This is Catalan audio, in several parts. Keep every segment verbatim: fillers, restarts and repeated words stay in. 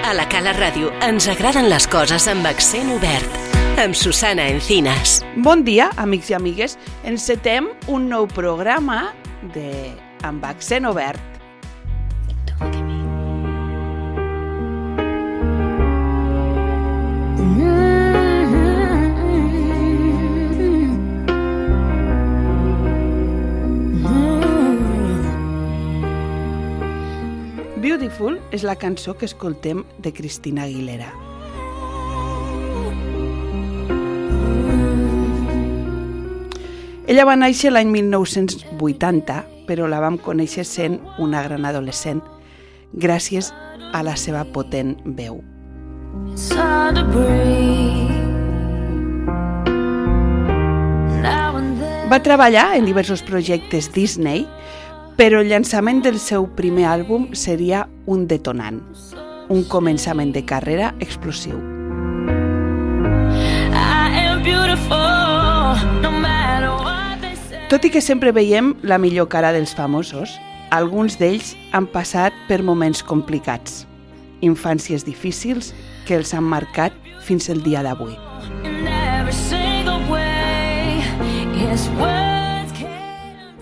A la Cala Ràdio ens agraden les coses amb accent obert. Amb Susana Encinas. Bon dia, amics i amigues. Encetem un nou programa de amb accent obert. Beautiful és la cançó que escoltem de Christina Aguilera. Ella va néixer l'any mil nou-cents vuitanta, però la vam conèixer sent una gran adolescent gràcies a la seva potent veu. Va treballar en diversos projectes Disney, però el llançament del seu primer àlbum seria un detonant, un començament de carrera explosiu. Tot i que sempre veiem la millor cara dels famosos, alguns d'ells han passat per moments complicats, infàncies difícils que els han marcat fins el dia d'avui.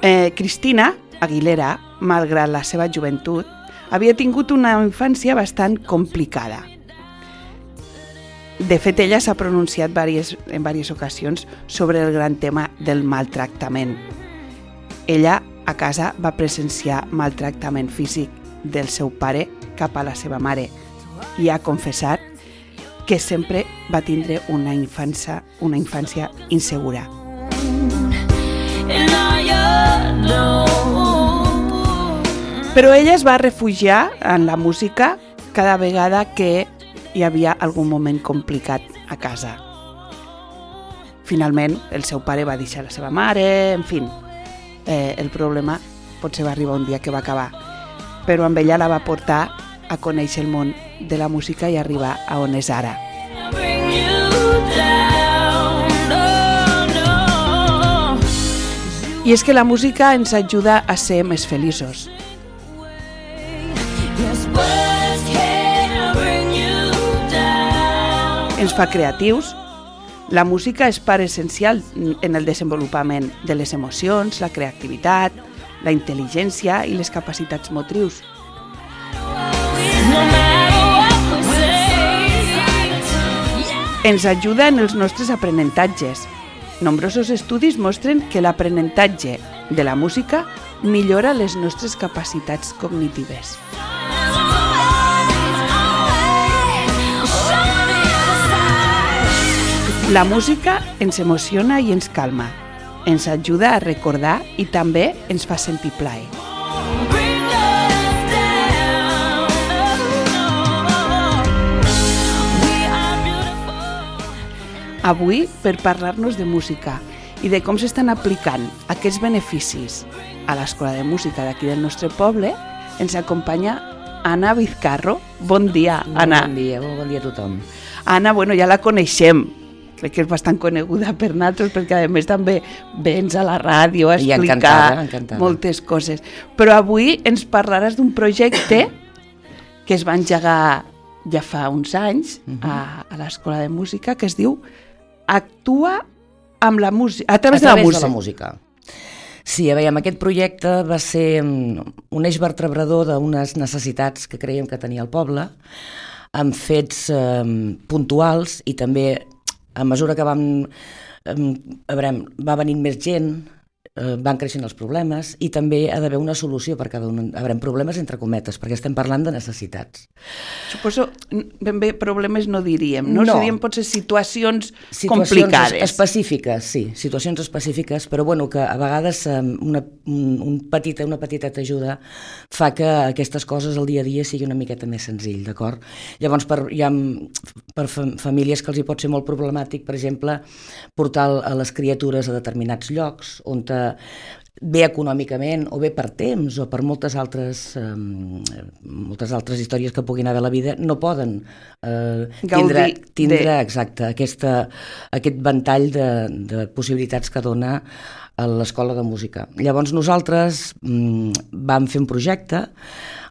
Eh, Christina Aguilera, malgrat la seva joventut, havia tingut una infància bastant complicada. De fet, ella s'ha pronunciat diverses, en diverses ocasions sobre el gran tema del maltractament. Ella, a casa, va presenciar maltractament físic del seu pare cap a la seva mare i ha confessat que sempre va tindre una infància, una infància insegura. Però ella es va refugiar en la música cada vegada que hi havia algun moment complicat a casa. Finalment, el seu pare va deixar la seva mare, en fi, eh, el problema potser va arribar un dia que va acabar, però amb ella la va portar a conèixer el món de la música i arribar a on és ara. I és que la música ens ajuda a ser més feliços. Ens fa creatius. La música és part essencial en el desenvolupament de les emocions, la creativitat, la intel·ligència i les capacitats motrius. Ens ajuda en els nostres aprenentatges. Nombrosos estudis mostren que l'aprenentatge de la música millora les nostres capacitats cognitives. La música ens emociona i ens calma, ens ajuda a recordar i també ens fa sentir plaer. Avui, per parlar-nos de música i de com s'estan aplicant aquests beneficis a l'Escola de Música d'aquí del nostre poble, ens acompanya Anna Vizcarro. Bon dia, Anna. Bon dia, bon dia a tothom. Anna, bueno, ja la coneixem. Crec que és bastant coneguda per nosaltres, perquè a més també vens a la ràdio a explicar encantada, encantada. moltes coses. Però avui ens parlaràs d'un projecte que es va engegar ja fa uns anys uh-huh. a, a l'Escola de Música, que es diu Actua amb la música, a través, a través de la música. de la música. Sí, a veure, aquest projecte va ser un eix vertebrador d'unes necessitats que creiem que tenia el poble, amb fets eh, puntuals i també a mesura que vam, eh, a veure, va venint més gent, eh, van creixent els problemes i també ha d'haver una solució per cada un. A veure, problemes entre cometes, perquè estem parlant de necessitats. Suposo, ben bé, problemes no diríem, no? No. Serien potser situacions, situacions complicades. específiques, sí, situacions específiques, però bueno, que a vegades una, un, un petita, una petiteta ajuda fa que aquestes coses al dia a dia sigui una miqueta més senzill, d'acord? Llavors, per, hi ha per famílies que els hi pot ser molt problemàtic, per exemple, portar a les criatures a determinats llocs on te, bé econòmicament o bé per temps o per moltes altres eh, moltes altres històries que puguin haver a la vida, no poden eh, tindre, tindre de... exacte, aquesta, aquest ventall de, de possibilitats que dona a l'Escola de Música. Llavors nosaltres mm, vam fer un projecte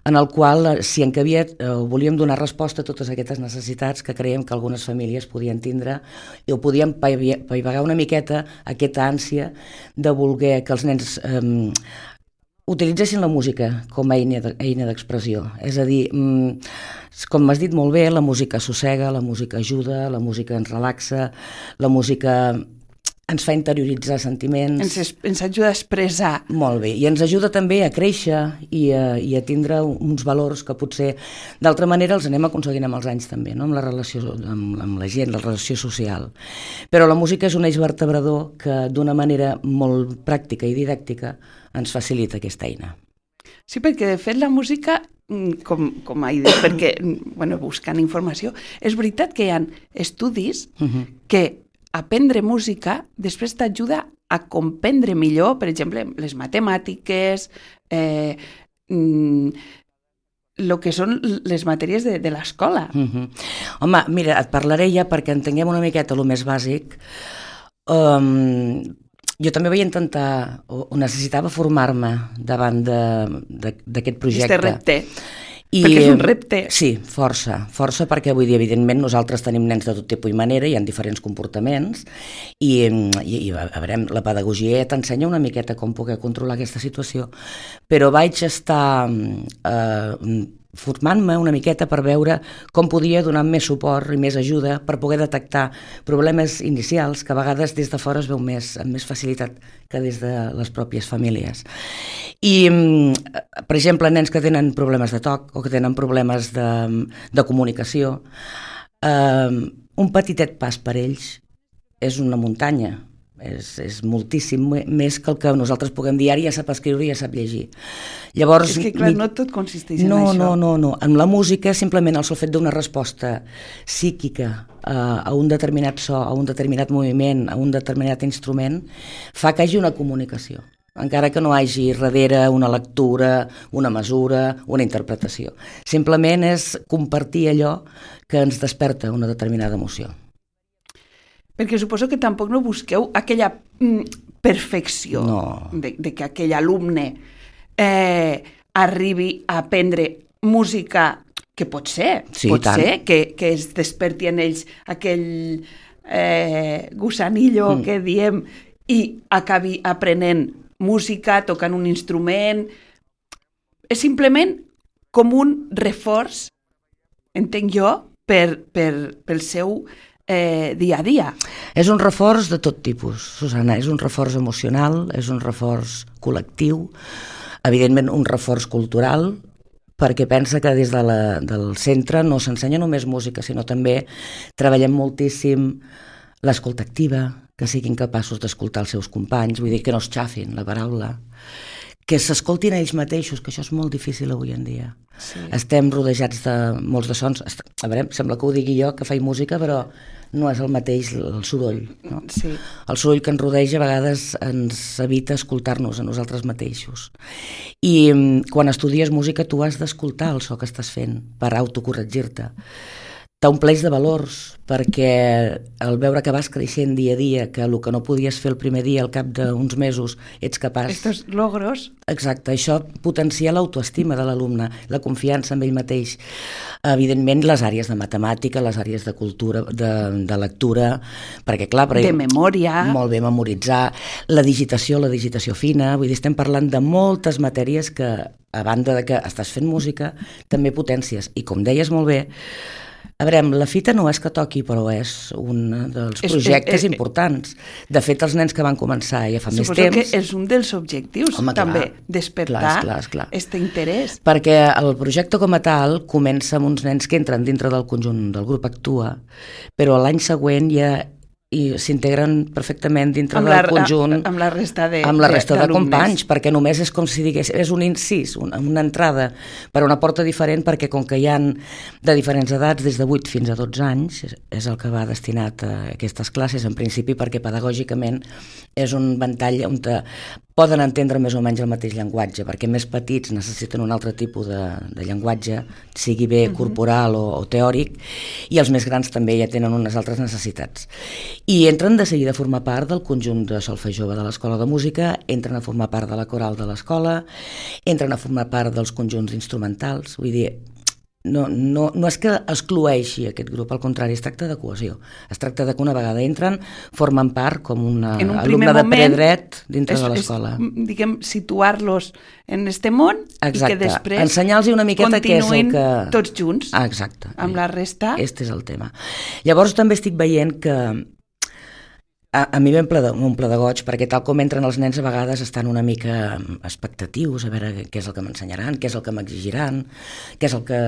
en el qual s'hi encabia, eh, volíem donar resposta a totes aquestes necessitats que creiem que algunes famílies podien tindre i ho podíem paivagar una miqueta aquesta ànsia de voler que els nens eh, utilitzessin la música com a eina d'expressió. És a dir, com m'has dit molt bé, la música assossega, la música ajuda, la música ens relaxa, la música ens fa interioritzar sentiments. Ens, es, ens ajuda a expressar. Molt bé, i ens ajuda també a créixer i a, i a tindre uns valors que potser d'altra manera els anem aconseguint amb els anys també, no? Amb la relació amb, amb la gent, la relació social. Però la música és un eix vertebrador que d'una manera molt pràctica i didàctica ens facilita aquesta eina. Sí, perquè de fet la música, com, com he dit, perquè bueno, buscant informació, és veritat que hi ha estudis uh-huh. que aprendre música després t'ajuda a comprendre millor, per exemple, les matemàtiques, eh, mm, el que són les matèries de, de l'escola. Uh-huh. Home, mira, et parlaré ja perquè entenguem una miqueta el més bàsic. Um, jo també vaig intentar, o, o necessitava formar-me davant d'aquest projecte. Este repte. I, perquè és un repte. Sí, força, força perquè vull dir, evidentment nosaltres tenim nens de tot tipus i manera, hi ha diferents comportaments i, i, i a veure, la pedagogia t'ensenya una miqueta com poder controlar aquesta situació, però vaig estar eh, formant-me una miqueta per veure com podia donar més suport i més ajuda per poder detectar problemes inicials que a vegades des de fora es veu més, amb més facilitat que des de les pròpies famílies. I, per exemple, nens que tenen problemes de toc o que tenen problemes de, de comunicació, eh, un petitet pas per ells és una muntanya. És, és moltíssim més que el que nosaltres puguem dir, ara ja sap escriure i ja sap llegir. Llavors, és que clar, no tot consisteix en no, això. No, no, no. En la música simplement el sol fet d'una resposta psíquica a, a un determinat so, a un determinat moviment, a un determinat instrument, fa que hi hagi una comunicació, encara que no hi hagi darrere una lectura, una mesura, una interpretació. Simplement és compartir allò que ens desperta una determinada emoció. Perquè suposo que tampoc no busqueu aquella mm, perfecció no. de, de que aquell alumne eh, arribi a aprendre música, que pot ser, sí, pot ser que, que es desperti en ells aquell eh, gusanillo mm. que diem i acabi aprenent música, tocant un instrument. És simplement com un reforç, entenc jo, per, per, pel seu Eh, dia a dia. És un reforç de tot tipus, Susana, és un reforç emocional, és un reforç col·lectiu, evidentment un reforç cultural, perquè pensa que des de la, del centre no s'ensenya només música, sinó també treballem moltíssim l'escolta activa, que siguin capaços d'escoltar els seus companys, vull dir que no es xafin la paraula, que s'escoltin ells mateixos, que això és molt difícil avui en dia. Sí. Estem rodejats de molts de sons. A veure, sembla que ho digui jo, que faig música, però no és el mateix el soroll. No? Sí. El soroll que ens rodeja a vegades ens evita escoltar-nos a nosaltres mateixos. I quan estudies música tu has d'escoltar el so que estàs fent per autocorregir-te. T'ompleix de valors, perquè al veure que vas creixent dia a dia, que el que no podies fer el primer dia, al cap d'uns mesos, ets capaç... Estos logros... Exacte, això potencia l'autoestima de l'alumne, la confiança en ell mateix. Evidentment, les àrees de matemàtica, les àrees de cultura, de, de lectura, perquè clar... De memòria... Molt bé, memoritzar, la digitació, la digitació fina, vull dir, estem parlant de moltes matèries que, a banda de que estàs fent música, també potències. I com deies molt bé, a veure, la fita no és que toqui, però és un dels projectes és, és, és, importants. De fet, els nens que van començar ja fa més temps... Suposo que és un dels objectius, home, també, clar, despertar aquest interès. Perquè el projecte com a tal comença amb uns nens que entren dintre del conjunt del grup Actua, però l'any següent ja i s'integren perfectament dintre amb del la, conjunt amb la resta de amb la resta de, de companys, perquè només és com si digués, és un incís, una, una entrada per una porta diferent, perquè com que hi ha de diferents edats, des de vuit fins a dotze anys, és, és el que va destinat a aquestes classes, en principi perquè pedagògicament és un ventall on te, poden entendre més o menys el mateix llenguatge, perquè més petits necessiten un altre tipus de, de llenguatge, sigui bé uh-huh. corporal o, o teòric, i els més grans també ja tenen unes altres necessitats. I entren de seguida a formar part del conjunt de solfeig jove de l'Escola de Música, entren a formar part de la coral de l'escola, entren a formar part dels conjunts instrumentals, vull dir, No, no, no és que excloeixi aquest grup, al contrari, es tracta de cohesió. Es tracta de que una vegada entren, formen part com una un alumne de predret dintre és, de l'escola. És, diguem, situar-los en este món. Exacte. I que després ensenyar-los una miqueta què és el que... tots junts. Ah, exacte. Amb la resta. Este és el tema. Llavors també estic veient que A, a mi m'omple de, de goig, perquè tal com entren els nens a vegades estan una mica expectatius, a veure què és el que m'ensenyaran, què és el que m'exigiran, què és el que...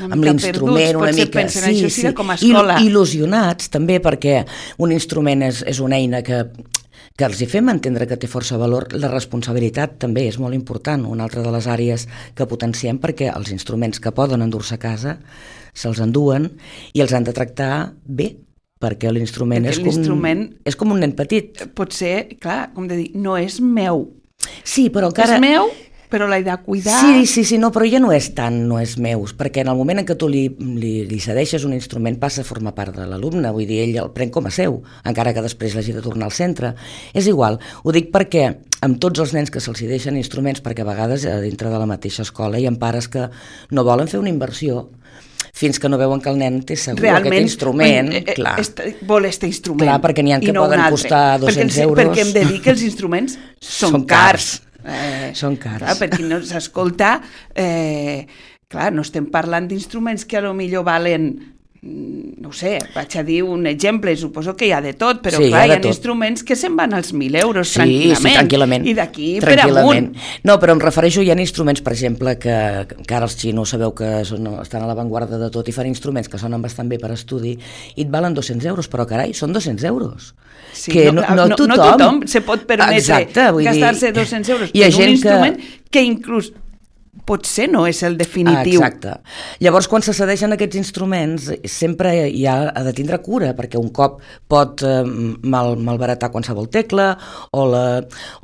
amb l'instrument una mica... Pensen, sí, sí, com a escola. Il, il·lusionats també, perquè un instrument és, és una eina que, que els hi fem entendre que té força valor. La responsabilitat també és molt important, una altra de les àrees que potenciem, perquè els instruments que poden endur-se a casa se'ls enduen i els han de tractar bé, perquè l'instrument és, com, és com un nen petit. Pot ser, clar, com de dir, no és meu. Sí, però encara... És meu, però l'he de cuidar. Sí, sí, sí, no, però ja no és tant, no és meu, perquè en el moment en què tu li, li, li cedeixes un instrument passa a formar part de l'alumne, vull dir, ell el pren com a seu, encara que després l'hagi de tornar al centre. És igual, ho dic perquè amb tots els nens que se'ls deixen instruments, perquè a vegades a dintre de la mateixa escola hi ha pares que no volen fer una inversió fins que no veuen que el nen té segur realment, aquest instrument. Eh, clar. Est, vol este instrument. Clar, perquè n'hi ha que no poden costar dos-cents perquè, euros. Perquè hem de dir que els instruments són, són cars. cars. Eh, són cars. Clar, per qui no s'escolta, eh, clar, no estem parlant d'instruments que a lo millor valen, no sé, vaig a dir un exemple, suposo que hi ha de tot, però sí, clar, hi ha, hi ha instruments que se'n van als mil euros sí, tranquil·lament. Sí, tranquil·lament. I d'aquí per amunt. No, però em refereixo, hi ha instruments, per exemple, que, que ara els xinos sabeu que són, estan a l'avantguarda de tot i fan instruments que sonen bastant bé per estudi i et valen dos-cents euros, però carai, són dos-cents euros. Sí, que no, no, no, tothom, no tothom se pot permetre gastar-se dos-cents euros en un instrument que, que inclús potser no és el definitiu. Ah, exacte. Llavors, quan se cedeixen aquests instruments, sempre hi ha de tindre cura, perquè un cop pot eh, mal, malbaratar qualsevol tecla o la,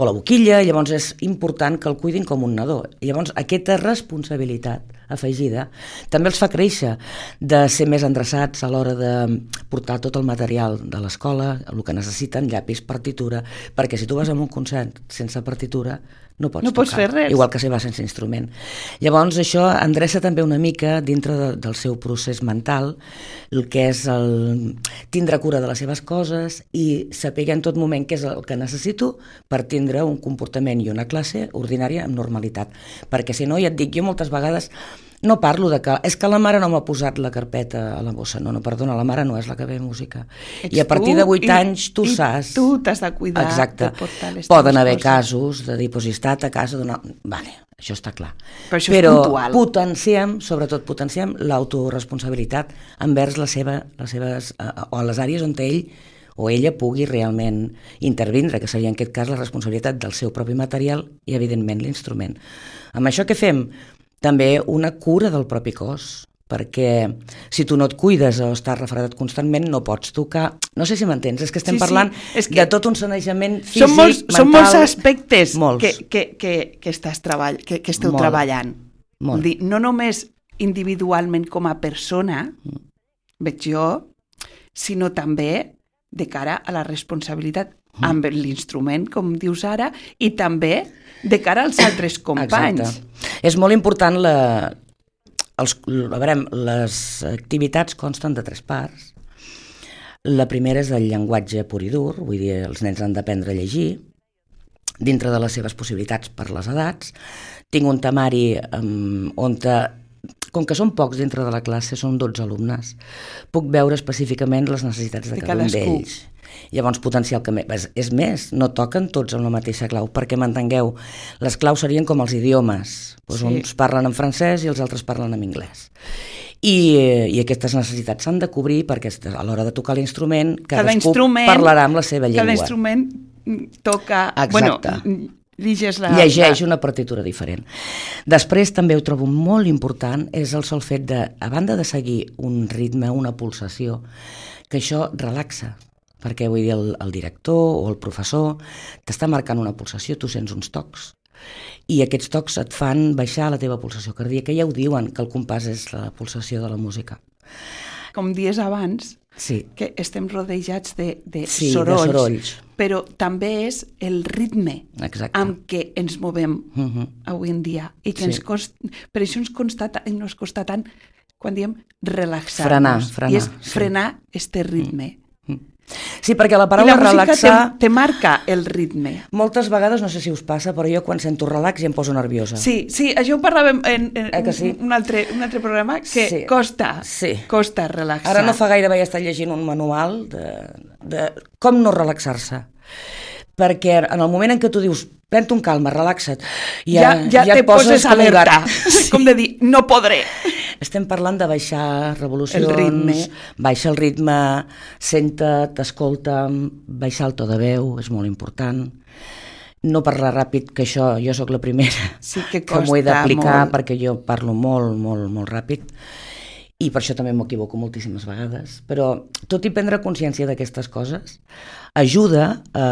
o la boquilla, llavors és important que el cuidin com un nadó. Llavors, aquesta responsabilitat afegida també els fa créixer, de ser més endreçats a l'hora de portar tot el material de l'escola, el que necessiten, llapis, partitura, perquè si tu vas a un concert sense partitura, no pots, no tocar, pots fer res. Igual que si va sense instrument. Llavors això endreça també una mica dintre de, del seu procés mental, el que és el tindre cura de les seves coses i saber en tot moment què és el que necessito per tindre un comportament i una classe ordinària amb normalitat. Perquè si no, ja et dic, jo moltes vegades no parlo de que és que la mare no m'ha posat la carpeta a la bossa. No, no, perdona, la mare no és la que ve música. Ets I a partir de vuit anys tu i saps... tu t'has de cuidar. Exacte. De portar les Poden haver coses. casos de dir, pues, si he estat a casa d'una... Vale, això està clar. Però això Però és puntual. potenciem, sobretot potenciem l'autoresponsabilitat envers la seva, les seves... o les àrees on ell o ella pugui realment intervindre, que seria en aquest cas la responsabilitat del seu propi material i, evidentment, l'instrument. Amb això què fem? També una cura del propi cos, perquè si tu no et cuides o estàs refredat constantment no pots tocar. No sé si m'entens, és que estem sí, parlant sí, és que de tot un sanejament físic, són molts, mental... Són molts aspectes molts. Que, que, que, que, estàs treball, que, que esteu Molt. treballant. Molt. Dir, no només individualment com a persona, mm. veig jo, sinó també de cara a la responsabilitat mm. amb l'instrument, com dius ara, i també de cara als altres companys. Exacte. És molt important la... Els, a veure, les activitats consten de tres parts. La primera és el llenguatge pur i dur, vull dir, els nens han d'aprendre a llegir dintre de les seves possibilitats per les edats. Tinc un temari um, on, te, com que són pocs dintre de la classe, són dotze alumnes, puc veure específicament les necessitats de, de cada un d'ells. Llavors potenciar el que més. És més, no toquen tots amb la mateixa clau, perquè m'entengueu, les claus serien com els idiomes. Pues sí. Uns parlen en francès i els altres parlen en anglès. I, i aquestes necessitats s'han de cobrir perquè a l'hora de tocar l'instrument cadascú parlarà amb la seva llengua. Cada instrument toca... Exacte. Bueno, llegeix la... Llegeix una partitura diferent. Després també ho trobo molt important, és el sol fet de, a banda de seguir un ritme, una pulsació, que això relaxa, perquè vull dir, el, el director o el professor t'està marcant una pulsació, tu sents uns tocs, i aquests tocs et fan baixar la teva pulsació cardíaca. Ja ho diuen, que el compàs és la pulsació de la música. Com dies abans, sí. que estem rodejats de, de, sí, sorolls, de sorolls, però també és el ritme Exacte. amb què ens movem uh-huh. avui en dia. I que sí. ens cost... Per això ens, constata, ens costa tant quan diem relaxar-nos. Frenar, frenar. I és sí. frenar este ritme. Mm. Sí, perquè la paraula relaxar... I la música relaxar... te, te marca el ritme. Moltes vegades, no sé si us passa, però jo quan sento relax ja em poso nerviosa. Sí, sí, això ho parlàvem en, en eh sí? un, altre, un altre programa, que sí. costa, sí. costa relaxar. Ara no fa gaire vaig estar llegint un manual de, de com no relaxar-se. Perquè en el moment en què tu dius pren-te un calma, relaxa't, ja, ja, ja, ja te poses, poses alerta, sí. com de dir, no podré. Estem parlant de baixar revolucions, el ritme. Baixa el ritme, senta't, escolta'm, baixar el to de veu, és molt important. No parlar ràpid, que això jo sóc la primera sí que, que m'ho he d'aplicar, perquè jo parlo molt, molt, molt ràpid, i per això també m'equivoco moltíssimes vegades. Però tot i prendre consciència d'aquestes coses ajuda a,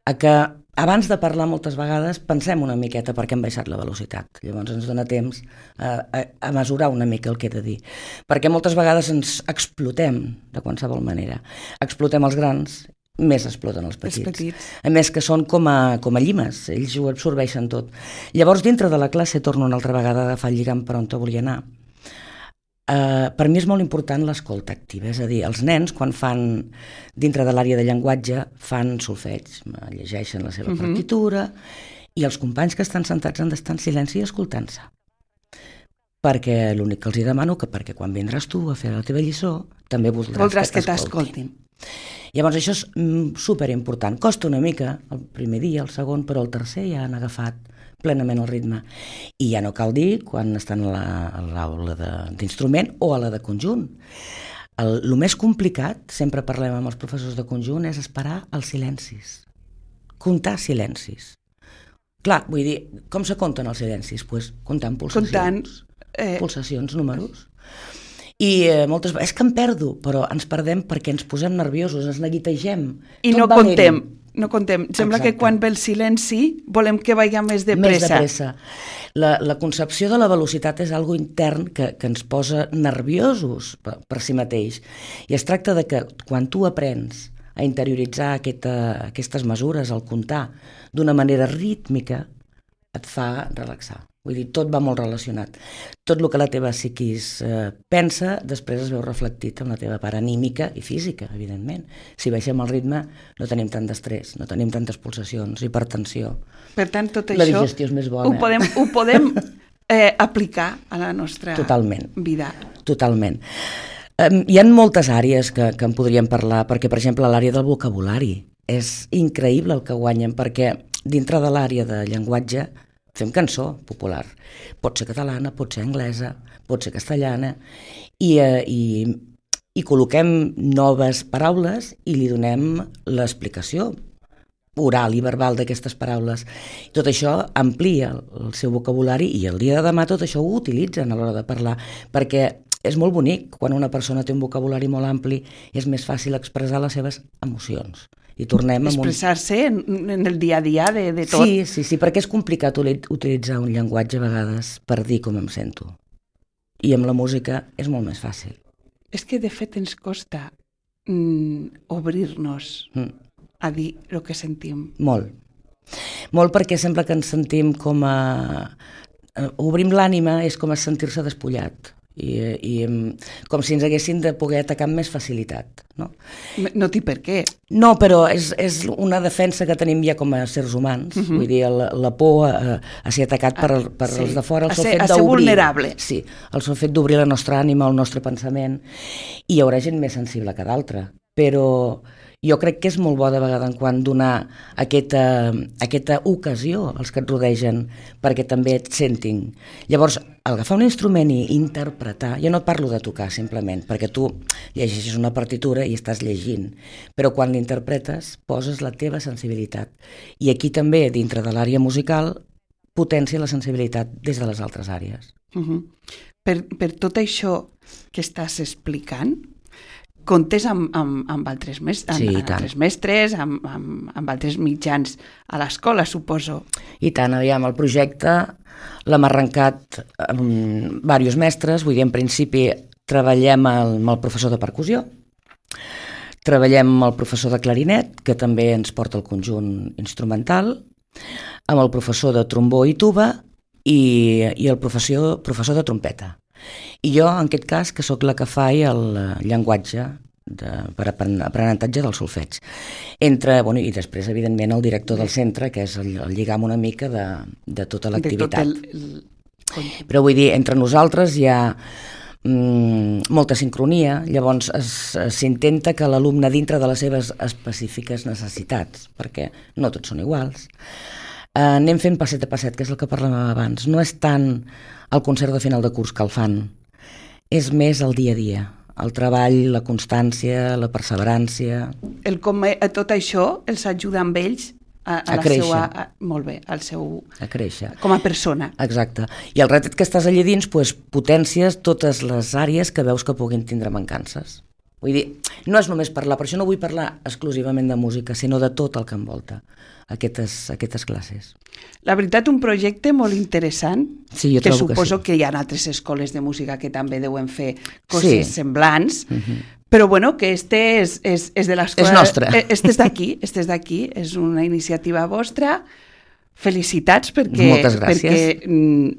a que abans de parlar moltes vegades pensem una miqueta perquè hem baixat la velocitat. Llavors ens dona temps a, a, a mesurar una mica el que he de dir. Perquè moltes vegades ens explotem de qualsevol manera. Explotem els grans, més exploten els petits. Els petits. A més que són com a, com a llimes, ells ho absorbeixen tot. Llavors dintre de la classe torno una altra vegada a agafar el lligam per on te volia anar. Uh, per mi és molt important l'escolta activa, és a dir, els nens quan fan, dintre de l'àrea de llenguatge, fan solfeig, llegeixen la seva uh-huh. partitura, i els companys que estan sentats han d'estar en silenci escoltant-se. Perquè l'únic que els hi demano que perquè quan vindràs tu a fer la teva lliçó també voldràs, voldràs que, que t'escoltin. Llavors això és mm, superimportant. Costa una mica el primer dia, el segon, però el tercer ja han agafat plenament el ritme. I ja no cal dir quan estan a l'aula d'instrument o a la de conjunt. El, el més complicat, sempre parlem amb els professors de conjunt, és esperar els silencis. Comptar silencis. Clar, vull dir, com se compten els silencis? Pues comptant pulsacions. Comptant, eh... Pulsacions, números. I eh, moltes vegades, és que em perdo, però ens perdem perquè ens posem nerviosos, ens neguitegem. I no contem. No contem. Sembla Exacte. Que quan ve el silenci volem que vagi més de pressa. Més de pressa. La, la concepció de la velocitat és algo intern que, que ens posa nerviosos per, per si mateix. I es tracta de que quan tu aprens a interioritzar aquesta, aquestes mesures, al comptar d'una manera rítmica, et fa relaxar. Vull dir, tot va molt relacionat. Tot el que la teva psiquis eh, pensa, després es veu reflectit en la teva part anímica i física, evidentment. Si baixem el ritme, no tenim tant d'estrès, no tenim tantes pulsacions, hipertensió. Per tant, tot la això digestió és més bona. Ho podem, ho podem eh, aplicar a la nostra Totalment. vida. Totalment. Um, hi ha moltes àrees que, que en podríem parlar, perquè, per exemple, l'àrea del vocabulari. És increïble el que guanyen, perquè dintre de l'àrea de llenguatge fem cançó popular. Pot ser catalana, pot ser anglesa, pot ser castellana, i, eh, i, i col·loquem noves paraules i li donem l'explicació oral i verbal d'aquestes paraules. Tot això amplia el seu vocabulari i el dia de demà tot això ho utilitzen a l'hora de parlar, perquè és molt bonic quan una persona té un vocabulari molt ampli, és més fàcil expressar les seves emocions. I tornem a expressar-se un... en, en el dia a dia de, de tot. Sí, sí, sí, perquè és complicat utilitzar un llenguatge a vegades per dir com em sento. I amb la música és molt més fàcil. És que de fet ens costa mm, obrir-nos mm. a dir el que sentim. Molt. Molt perquè sembla que ens sentim com a... Obrim l'ànima és com a sentir-se despullat. I, i com si ens haguessin de poder atacar amb més facilitat. No, no té per què. No, però és, és una defensa que tenim ja com a éssers humans. Uh-huh. Vull dir, la, la por a, a ser atacat per, per sí. els de fora. El a ser, fet a ser vulnerable. Sí, el sol fet d'obrir la nostra ànima, el nostre pensament. I hi haurà gent més sensible que d'altra. Però jo crec que és molt bo de vegada en quan donar aquesta, aquesta ocasió als que et rodegen perquè també et sentin. Llavors, agafar un instrument i interpretar, jo no et parlo de tocar simplement, perquè tu llegeixes una partitura i estàs llegint, però quan l'interpretes poses la teva sensibilitat. I aquí també, dintre de l'àrea musical, potència la sensibilitat des de les altres àrees. Uh-huh. Per, per tot això que estàs explicant, comptes amb, amb, amb, altres, mes, amb, sí, amb altres mestres, amb, amb, amb altres mitjans a l'escola, suposo. I tant, aviam, el projecte l'hem arrencat amb diversos mestres, vull dir, en principi treballem amb el professor de percussió, treballem amb el professor de clarinet, que també ens porta el conjunt instrumental, amb el professor de trombó i tuba i, i el professor, professor de trompeta. I jo, en aquest cas, que sóc la que faig el llenguatge de, per aprenentatge del solfeig. Entre, bueno, i després, evidentment, el director del centre, que és el, el lligam una mica de, de tota l'activitat. El... El... Però vull dir, entre nosaltres hi ha mm, molta sincronia, llavors s'intenta que l'alumne, dintre de les seves específiques necessitats, perquè no tots són iguals, eh, anem fent passet a passet, que és el que parlàvem abans. No és tant el concert de final de curs que el fan, és més el dia a dia, el treball, la constància, la perseverància. El com a tot això els ajuda amb ells a, a, a la créixer. Seua, a, molt bé, al seu... A créixer. Com a persona. Exacte. I el repte que estàs allà dins, pues, potències totes les àrees que veus que puguin tindre mancances. Vull dir, no és només parlar, per això no vull parlar exclusivament de música, sinó de tot el que envolta aquestes, aquestes classes. La veritat, un projecte molt interessant, sí, jo que trobo suposo que, sí. que hi ha altres escoles de música que també deuen fer coses sí. semblants, uh-huh. però bueno, que este és, és, és de l'escola... És nostre. Este és d'aquí, este és d'aquí, és una iniciativa vostra. Felicitats perquè... Moltes gràcies. Perquè mm,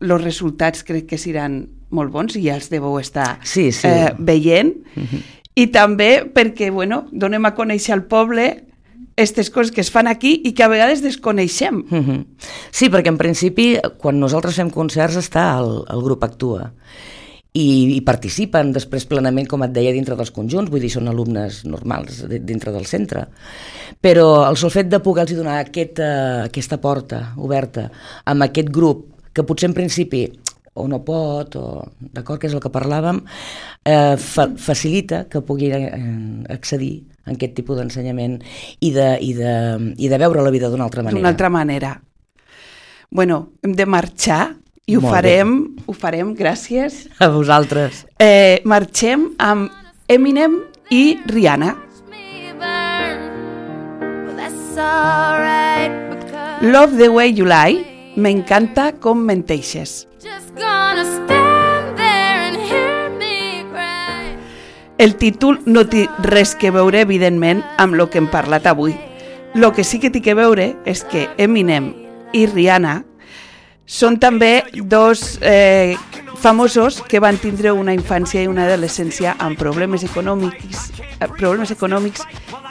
els resultats crec que seran molt bons i ja els deveu estar sí, sí. Eh, veient. Uh-huh. I també perquè, bueno, donem a conèixer al poble aquestes coses que es fan aquí i que a vegades desconeixem. Uh-huh. Sí, perquè en principi, quan nosaltres fem concerts, està el, el grup Actua. I, i participen després plenament, com et deia, dintre dels conjunts, vull dir, són alumnes normals dintre del centre. Però el sol fet de poder-los donar aquesta, aquesta porta oberta amb aquest grup, que potser en principi o no pot, o d'acord, que és el que parlàvem, eh, fa, facilita que pugui eh, accedir a aquest tipus d'ensenyament i de, i, de, i de veure la vida d'una altra manera. D'una altra manera. Bueno, hem de marxar i ho Molt farem, bé. ho farem, gràcies. A vosaltres. Eh, marxem amb Eminem i Rihanna. Love the way you lie, m'encanta com menteixes. El títol no té res que veure, evidentment, amb el que hem parlat avui. El que sí que té que veure és que Eminem i Rihanna són també dos eh, famosos que van tindre una infància i una adolescència amb problemes econòmics, eh, problemes econòmics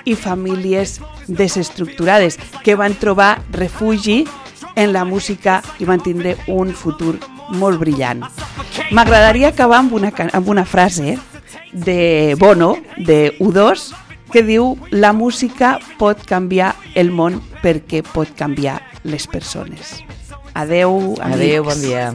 i famílies desestructurades, que van trobar refugi en la música i van tindre un futur molt brillant. M'agradaria acabar amb una, amb una frase de Bono, de U dos, que diu: la música pot canviar el món perquè pot canviar les persones. Adeu, amics. Adeu, bon dia.